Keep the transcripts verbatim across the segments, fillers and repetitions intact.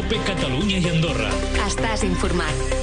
COPE Catalunya i Andorra. Estàs informat.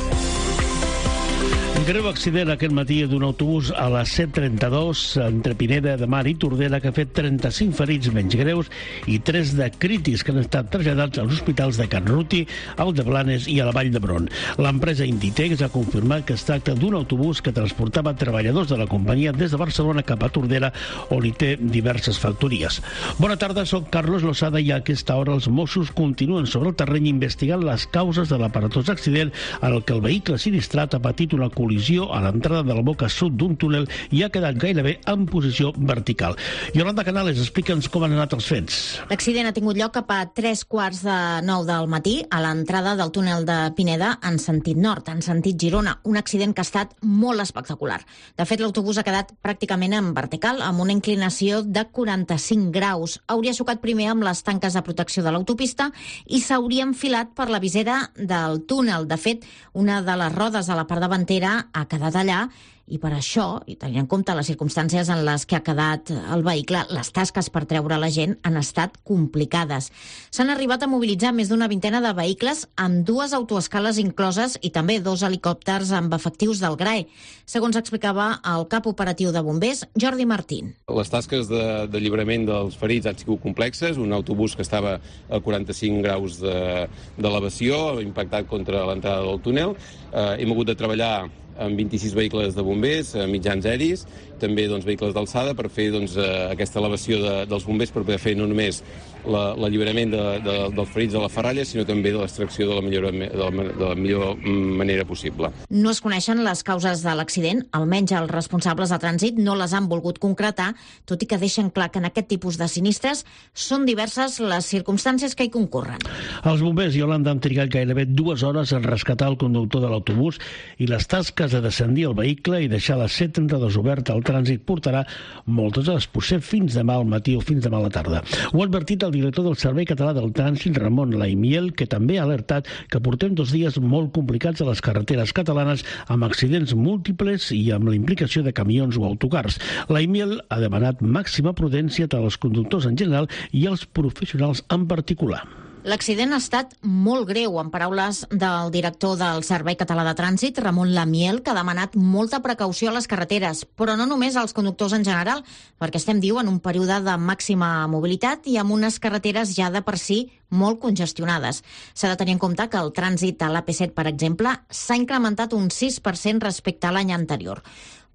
Greu accident aquest matí d'un autobús a la C trenta-dos entre Pineda de Mar i Tordera que ha fet trenta-cinc ferits menys greus i tres de crítics que han estat traslladats als hospitals de Can Ruti, al de Blanes i a la Vall d'Hebron. L'empresa Inditex ha confirmat que es tracta d'un autobús que transportava treballadors de la companyia des de Barcelona cap a Tordera, on hi té diverses factories. Bona tarda, soc Carlos Losada i a aquesta hora els Mossos continuen sobre el terreny investigant les causes de l'aparatós accident en el que el vehicle sinistrat ha patit una col·lisió a l'entrada de la boca sud d'un túnel i ha quedat gairebé en posició vertical. Yolanda Canales, explica'ns com han anat els fets. L'accident ha tingut lloc cap a tres quarts de nou del matí a l'entrada del túnel de Pineda en sentit nord, en sentit Girona. Un accident que ha estat molt espectacular. De fet, l'autobús ha quedat pràcticament en vertical, amb una inclinació de quaranta-cinc graus. Hauria xocat primer amb les tanques de protecció de l'autopista i s'hauria enfilat per la visera del túnel. De fet, una de les rodes a la part davantera ha quedat allà i per això, i tenint en compte les circumstàncies en les que ha quedat el vehicle, les tasques per treure la gent han estat complicades. S'han arribat a mobilitzar més d'una vintena de vehicles amb dues autoescales incloses i també dos helicòpters amb efectius del G R A E, segons explicava el cap operatiu de bombers, Jordi Martín. Les tasques de, de lliurament dels ferits han sigut complexes. Un autobús que estava a quaranta-cinc graus d'elevació, impactat contra l'entrada del túnel. Eh, hem hagut de treballar amb vint-i-sis vehicles de bombers, mitjans aeris, també doncs, vehicles d'alçada per fer doncs, aquesta elevació de, dels bombers per poder fer no només l'alliberament de, de, dels ferits de la ferralla, sinó també de l'extracció de, la millor, de, la, de la millor manera possible. No es coneixen les causes de l'accident, almenys els responsables de trànsit no les han volgut concretar, tot i que deixen clar que en aquest tipus de sinistres són diverses les circumstàncies que hi concorren. Els bombers, Yolanda, han trigat gairebé dues hores en rescatar el conductor de l'autobús i les tasques de descendir el vehicle i deixar la C trenta-dos oberta al trànsit portarà moltes hores, potser fins demà al matí o fins demà a la tarda. Ho ha advertit el director del Servei Català del Trànsit, Ramon Laimiel, que també ha alertat que portem dos dies molt complicats a les carreteres catalanes amb accidents múltiples i amb la implicació de camions o autocars. Laimiel ha demanat màxima prudència tant als conductors en general i als professionals en particular. L'accident ha estat molt greu, en paraules del director del Servei Català de Trànsit, Ramon Laimiel, que ha demanat molta precaució a les carreteres, però no només als conductors en general, perquè estem, diu, en un període de màxima mobilitat i amb unes carreteres ja de per si molt congestionades. S'ha de tenir en compte que el trànsit a l'A P set, per exemple, s'ha incrementat un sis per cent respecte a l'any anterior.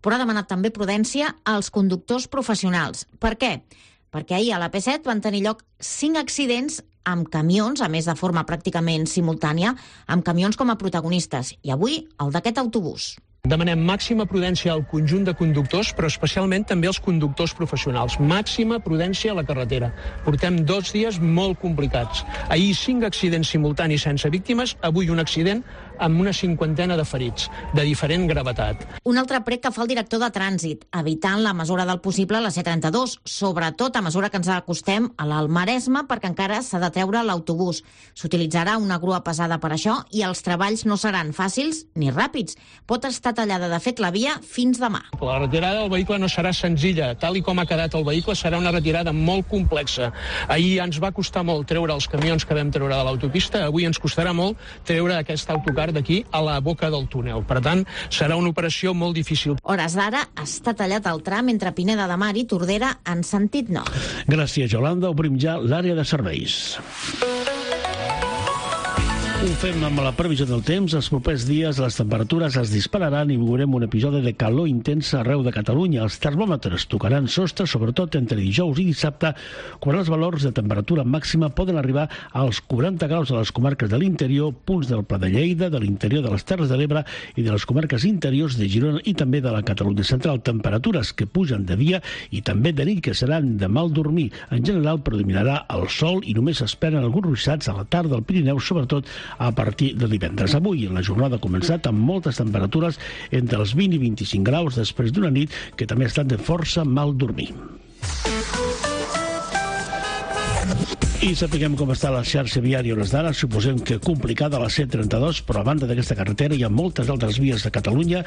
Però ha demanat també prudència als conductors professionals. Per què? Perquè ahir a l'A P set van tenir lloc cinc accidents amb camions, a més de forma pràcticament simultània, amb camions com a protagonistes. I avui, el d'aquest autobús. Demanem màxima prudència al conjunt de conductors, però especialment també als conductors professionals. Màxima prudència a la carretera. Portem dos dies molt complicats. Ahir cinc accidents simultanis sense víctimes, avui un accident amb una cinquantena de ferits, de diferent gravetat. Un altre prec que fa el director de trànsit, evitant la mesura del possible la C trenta-dos, sobretot a mesura que ens acostem a l'Almaresme, perquè encara s'ha de treure l'autobús. S'utilitzarà una grua pesada per això i els treballs no seran fàcils ni ràpids. Pot estar tallada, de fet, la via fins demà. La retirada del vehicle no serà senzilla. Tal i com ha quedat el vehicle, serà una retirada molt complexa. Ahir ens va costar molt treure els camions que vam treure de l'autopista, avui ens costarà molt treure aquest autocar d'aquí a la boca del túnel. Per tant, serà una operació molt difícil. Hores d'ara està tallat el tram entre Pineda de Mar i Tordera en sentit nord. Gràcies, Yolanda. Obrim ja l'àrea de serveis. Ho fem amb la previsió del temps. Els propers dies les temperatures es dispararan i veurem un episodi de calor intensa arreu de Catalunya. Els termòmetres tocaran sostre, sobretot entre dijous i dissabte, quan els valors de temperatura màxima poden arribar als quaranta graus a les comarques de l'interior, punts del Pla de Lleida, de l'interior de les Terres de l'Ebre i de les comarques interiors de Girona i també de la Catalunya central. Temperatures que pugen de dia i també de nit, que seran de mal dormir. En general predominarà el sol i només s'esperen alguns ruixats a la tarda al Pirineu, sobretot a partir de divendres. Avui la jornada ha començat amb moltes temperatures entre els vint i vint-i-cinc graus després d'una nit que també ha estat de força mal dormir. I sapiguem com està la xarxa viària a hores d'ara. Suposem que complicada la C trenta-dos, però a banda d'aquesta carretera hi ha moltes altres vies de Catalunya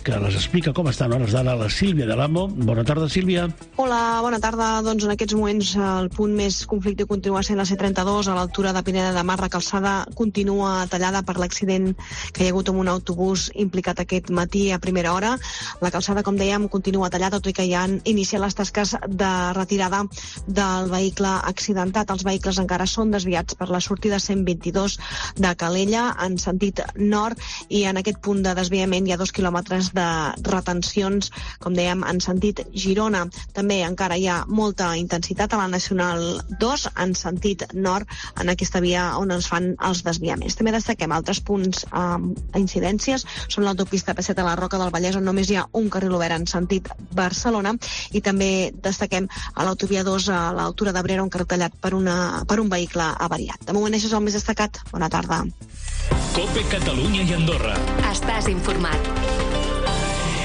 que les explica com estan a hores d'ara la Sílvia de l'Amo. Bona tarda, Sílvia. Hola, bona tarda. Doncs en aquests moments el punt més conflicte continua sent la C trenta-dos, a l'altura de Pineda de Mar. La calçada continua tallada per l'accident que hi ha hagut amb un autobús implicat aquest matí a primera hora. La calçada, com dèiem, continua tallada, tot i que ja han iniciat les tasques de retirada del vehicle accidentat. Els vehicles encara són desviats per la sortida cent vint-i-dos de Calella en sentit nord, i en aquest punt de desviament hi ha dos quilòmetres de retencions, com dèiem, en sentit Girona. També encara hi ha molta intensitat a la Nacional dos en sentit nord, en aquesta via on es fan els desviaments. També destaquem altres punts amb eh, incidències. Són l'autopista P set a la Roca del Vallès, on només hi ha un carril obert en sentit Barcelona, i també destaquem a l'autovia dos a l'altura d'Abrera, un carril tallat per una per un vehicle avariat. De moment això és el més destacat. Bona tarda. COPE Catalunya i Andorra. Estàs informat.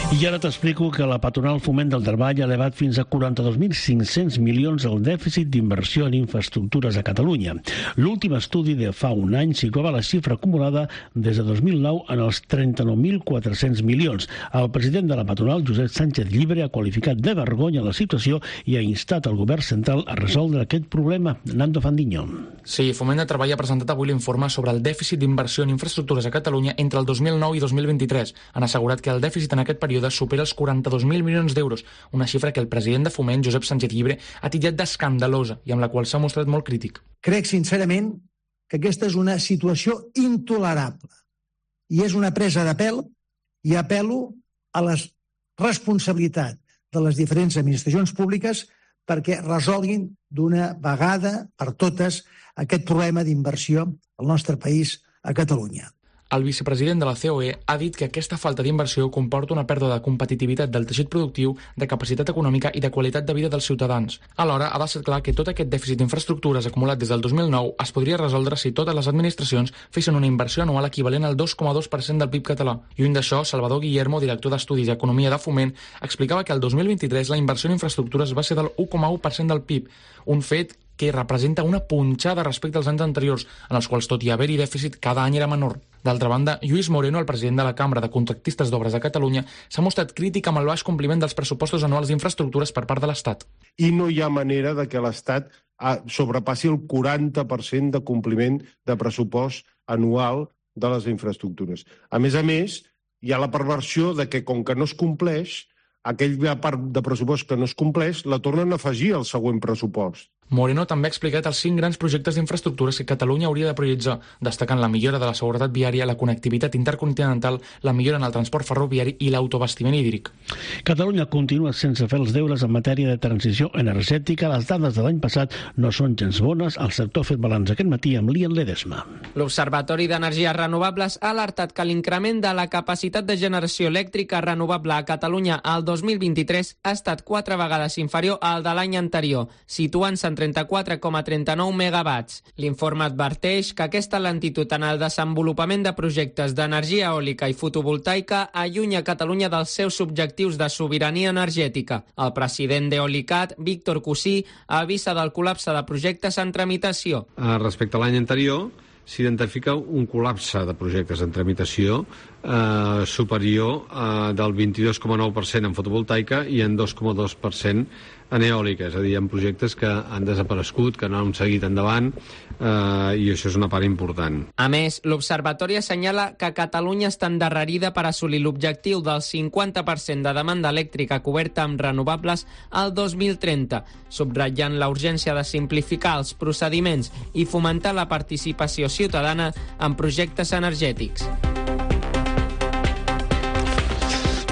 I ara t'explico que la patronal Foment del Treball ha elevat fins a quaranta-dos mil cinc-cents milions el dèficit d'inversió en infraestructures a Catalunya. L'últim estudi de fa un any situava la xifra acumulada des de dos mil nou en els trenta-nou mil quatre-cents milions. El president de la patronal, Josep Sánchez Llibre, ha qualificat de vergonya la situació i ha instat el govern central a resoldre aquest problema. Nando Fandiño. Sí, Foment del Treball ha presentat avui l'informe sobre el dèficit d'inversió en infraestructures a Catalunya entre el dos mil nou i dos mil vint-i-tres. Han assegurat que el dèficit en aquest període supera els quaranta-dos mil milions d'euros, una xifra que el president de Foment, Josep Sánchez Llibre, ha titllat d'escandalosa i amb la qual s'ha mostrat molt crític. Crec sincerament que aquesta és una situació intolerable i és una presa de pèl, i apel·lo a la responsabilitat de les diferents administracions públiques perquè resolguin d'una vegada per totes aquest problema d'inversió al nostre país, a Catalunya. El vicepresident de la C O E ha dit que aquesta falta d'inversió comporta una pèrdua de competitivitat del teixit productiu, de capacitat econòmica i de qualitat de vida dels ciutadans. Alhora, ha deixat clar que tot aquest dèficit d'infraestructures acumulat des del dos mil nou es podria resoldre si totes les administracions fessin una inversió anual equivalent al dos coma dos per cent del P I B català. Lluny d'això, Salvador Guillermo, director d'Estudis i Economia de Foment, explicava que el dos mil vint-i-tres la inversió en infraestructures va ser del u coma u per cent del P I B, un fet que representa una punxada respecte als anys anteriors, en els quals, tot i haver-hi dèficit, cada any era menor. D'altra banda, Lluís Moreno, el president de la Cambra de Contractistes d'Obres de Catalunya, s'ha mostrat crític amb el baix compliment dels pressupostos anuals d'infraestructures per part de l'Estat. I no hi ha manera de que l'Estat sobrepassi el quaranta per cent de compliment de pressupost anual de les infraestructures. A més a més, hi ha la perversió de que, com que no es compleix, aquella part de pressupost que no es compleix la tornen a afegir al següent pressupost. Moreno també ha explicat els cinc grans projectes d'infraestructures que Catalunya hauria de prioritzar, destacant la millora de la seguretat viària, la connectivitat intercontinental, la millora en el transport ferroviari i l'autobastiment hídric. Catalunya continua sense fer els deures en matèria de transició energètica. Les dades de l'any passat no són gens bones. El sector ha fet balanç aquest matí amb l'Ian Ledesma. L'Observatori d'Energies Renovables ha alertat que l'increment de la capacitat de generació elèctrica renovable a Catalunya al dos mil vint-i-tres ha estat quatre vegades inferior al de l'any anterior, situant-se en trenta-quatre coma trenta-nou megawatts. L'informe adverteix que aquesta lentitud en el desenvolupament de projectes d'energia eòlica i fotovoltaica allunya Catalunya dels seus objectius de sobirania energètica. El president d'Eolicat, Víctor Cusí, avisa del col·lapse de projectes en tramitació. Respecte a l'any anterior, s'identifica un col·lapse de projectes en tramitació eh, superior eh, del vint-i-dos coma nou per cent en fotovoltaica i en dos coma dos per cent en eòlica, és a dir, en projectes que han desaparegut, que no han seguit endavant, eh, i això és una part important. A més, l'Observatori assenyala que Catalunya està endarrerida per assolir l'objectiu del cinquanta per cent de demanda elèctrica coberta amb renovables al dos mil trenta, subratllant la urgència de simplificar els procediments i fomentar la participació ciutadana en projectes energètics.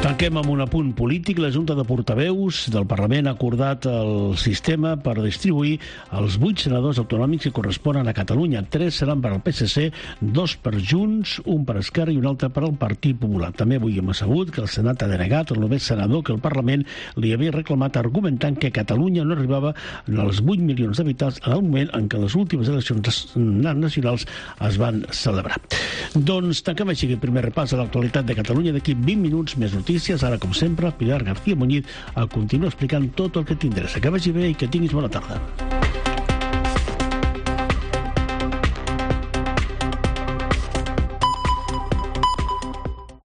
Tanquem amb un apunt polític. La Junta de Portaveus del Parlament ha acordat el sistema per distribuir els vuit senadors autonòmics que corresponen a Catalunya. Tres seran per al P S C, dos per Junts, un per Esquerra i un altre per al Partit Popular. També avui hem sabut que el Senat ha denegat el novè senador que el Parlament li havia reclamat, argumentant que Catalunya no arribava als vuit milions d'habitants en el moment en què les últimes eleccions nacionals es van celebrar. Doncs tanquem així el primer repàs a l'actualitat de Catalunya. D'aquí vint minuts més notícies. Ara, com sempre, Pilar García Muñiz a continuar explicant tot el que t'interessa. Que vagi bé i que tinguis bona tarda.